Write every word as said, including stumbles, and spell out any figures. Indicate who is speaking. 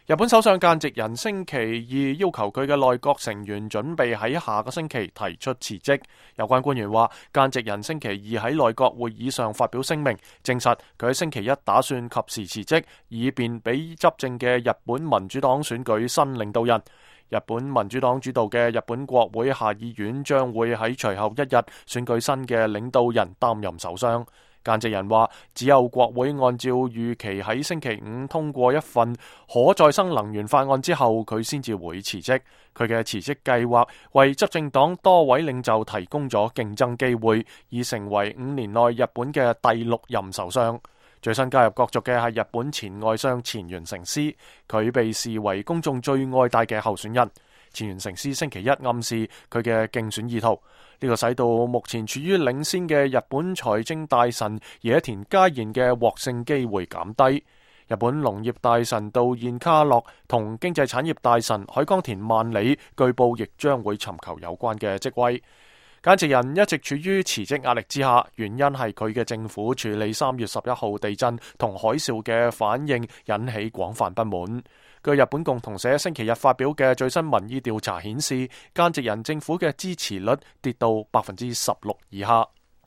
Speaker 1: 日本首相菅直人星期二要求佢嘅內閣成員準備喺下個星期提出辭職。有關官員話，菅直人星期二喺內閣會議上發表聲明，證實佢喺星期一打算及時辭職，以便俾執政嘅日本民主黨選舉新領導人。日本民主黨主導嘅日本國會下議院將會喺隨後一日選舉新嘅領導人擔任首相。菅直人話，只有國會按照預期喺星期五通過一份可再生能源法案之後，佢先至會辭職。佢嘅辭職計劃為執政黨多位領袖提供咗競爭機會，以成為五年內日本嘅第六任首相。最新加入角逐嘅係日本前外相前原誠司，佢被視為公眾最愛戴嘅候選人。前原誠司星期一暗示佢嘅競選意圖，呢個使到目前處於領先嘅日本財政大臣野田佳彥嘅獲勝機會減低。日本農業大臣稻彥卡諾同經濟產業大臣海江田萬里據報亦將會尋求有關嘅職位。菅直人一直處於辭職壓力之下，原因係佢嘅政府處理三月十一號地震同海嘯嘅反應引起廣泛不滿。據日本共同社星期日發表嘅最新民意調查顯示，菅直人政府嘅支持率跌到百分之十六以下。